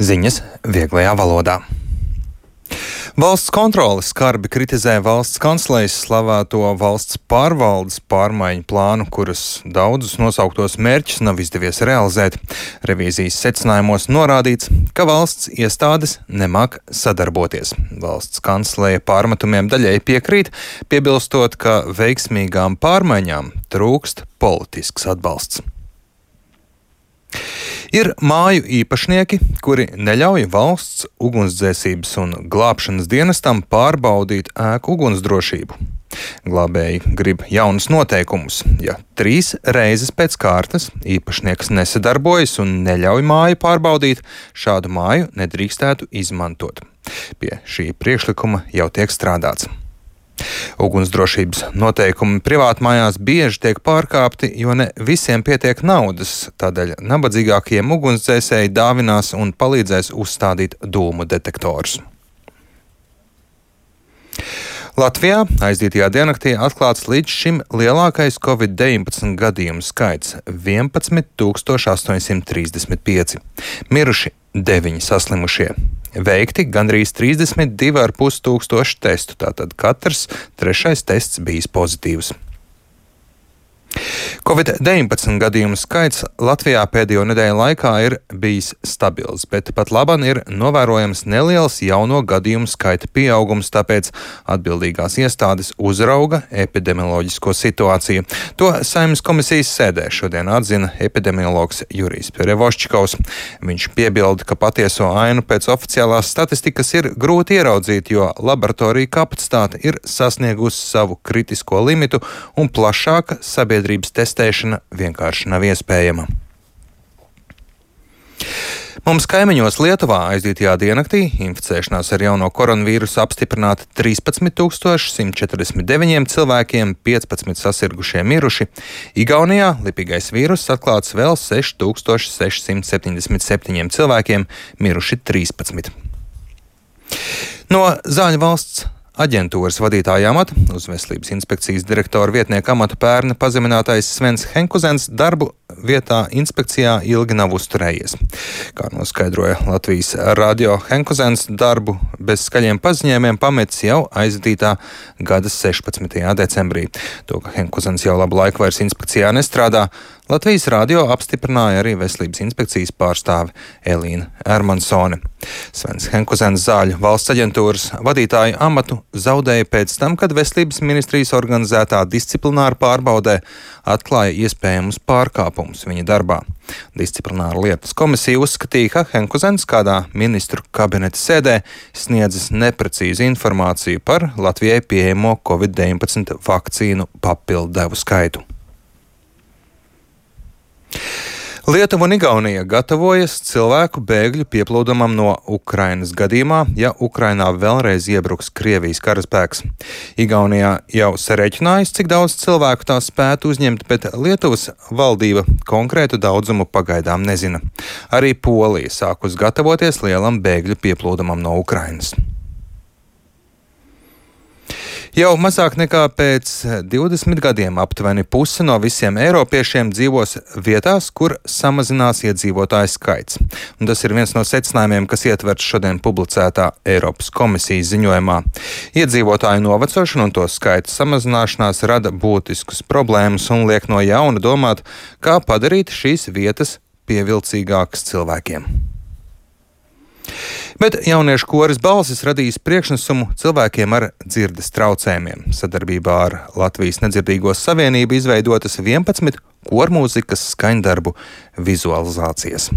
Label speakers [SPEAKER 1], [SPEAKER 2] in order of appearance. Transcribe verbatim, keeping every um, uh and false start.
[SPEAKER 1] Ziņas vieglajā valodā. Valsts kontrole skarbi kritizē valsts kanclejas slavēto valsts pārvaldes pārmaiņu plānu, kuras daudzus nosauktos mērķus nav izdevies realizēt. Revīzijas secinājumos norādīts, ka valsts iestādes nemāk sadarboties. Valsts kancleja pārmetumiem daļēji piekrīt, piebilstot, ka veiksmīgām pārmaiņām trūkst politisks atbalsts. Ir māju īpašnieki, kuri neļauj valsts ugunsdzēsības un glābšanas dienestam pārbaudīt ēku ugunsdrošību. Glābēji grib jaunus noteikumus. Ja trīs reizes pēc kārtas īpašnieks nesadarbojas un neļauj māju pārbaudīt, šādu māju nedrīkstētu izmantot. Pie šī priekšlikuma jau tiek strādāts. Ugunsdrošības noteikumi privātmājās bieži tiek pārkāpti, jo ne visiem pietiek naudas, tādēļ nabadzīgākajiem ugunsdzēsēji dāvinās un palīdzēs uzstādīt dūmu detektorus. Latvijā aizdītajā diennaktī atklāts līdz šim lielākais covid deviņpadsmit gadījumu skaits - vienpadsmit tūkstoši astoņi simti trīsdesmit pieci. Miruši deviņi saslimušie. Veikti gandrīz trīsdesmit divi ar pus tūkstoši testu, tātad katrs trešais tests bijis pozitīvs. covid deviņpadsmit gadījumu skaits Latvijā pēdējo nedēļu laikā ir bijis stabils, bet pat labam ir novērojams neliels jauno gadījumu skaita pieaugums, tāpēc atbildīgās iestādes uzrauga epidemioloģisko situāciju. To Saeimas komisijas sēdē šodien atzina epidemiologs Jurijs Perevoščikovs. Viņš piebilda, ka patieso ainu pēc oficiālās statistikas ir grūti ieraudzīt, jo laboratorija kapacitāte ir sasniegusi savu kritisko limitu un plašāka sabiedrības testēšana vienkārši nav iespējama. Mums kaimiņos Lietuvā aizdītajā diennaktī inficēšanās ar jauno koronavīrusu apstiprināta trīspadsmit tūkstoši simt četrdesmit deviņiem cilvēkiem, piecpadsmit sasirgušie miruši. Igaunijā lipīgais vīruss atklāts vēl seši tūkstoši seši simti septiņdesmit septiņiem cilvēkiem, miruši trīspadsmit. No Zāļu valsts aģentūras vadītāja amata uz Veselības inspekcijas direktora vietnieka amatu pērn pazeminātais Svens Henkuzens darbu vietā inspekcijā ilgi nav uzturējies. Kā noskaidroja Latvijas radio, Henkuzens darbu bez skaļiem paziņojumiem pametis jau aizdītā gada sešpadsmitajā decembrī. To, ka Henkuzens jau labu laiku vairs inspekcijā nestrādā, Latvijas radio apstiprināja arī Veselības inspekcijas pārstāve Elīna Ermansone. Svens Henkuzens Zāļu valsts aģentūras vadītāja amatu zaudēja pēc tam, kad Veselības ministrijas organizētā disciplināra pārbaudē atklāja iespējamus pārkāpumus viņa darbā. Disciplināra lietas komisija uzskatīja, ka Henkuzens kādā ministru kabineta sēdē sniedzis neprecīzu informāciju par Latvijai pieejamo covid deviņpadsmit vakcīnu papildu devu skaitu. Lietuva un Igaunija gatavojas cilvēku bēgļu pieplūdumam no Ukrainas gadījumā, ja Ukrainā vēlreiz iebruks Krievijas karaspēks. Igaunijā jau sarēķinājusi, cik daudz cilvēku tā spētu uzņemt, bet Lietuvas valdība konkrētu daudzumu pagaidām nezina. Arī Polija sākus gatavoties lielam bēgļu pieplūdumam no Ukrainas. Jau mazāk nekā pēc divdesmit gadiem aptuveni puse no visiem eiropiešiem dzīvos vietās, kur samazinās iedzīvotāju skaits. Un tas ir viens no secinājumiem, kas ietverts šodien publicētā Eiropas komisijas ziņojumā. Iedzīvotāju novecošana un to skaita samazināšanās rada būtiskus problēmas un liek no jauna domāt, kā padarīt šīs vietas pievilcīgākas cilvēkiem. Bet jauniešu koris Balsis radīs priekšnesumu cilvēkiem ar dzirdes traucējumiem. Sadarbībā ar Latvijas nedzirdīgo savienību izveidotas vienpadsmit kormūzikas skaņdarbu vizualizācijas.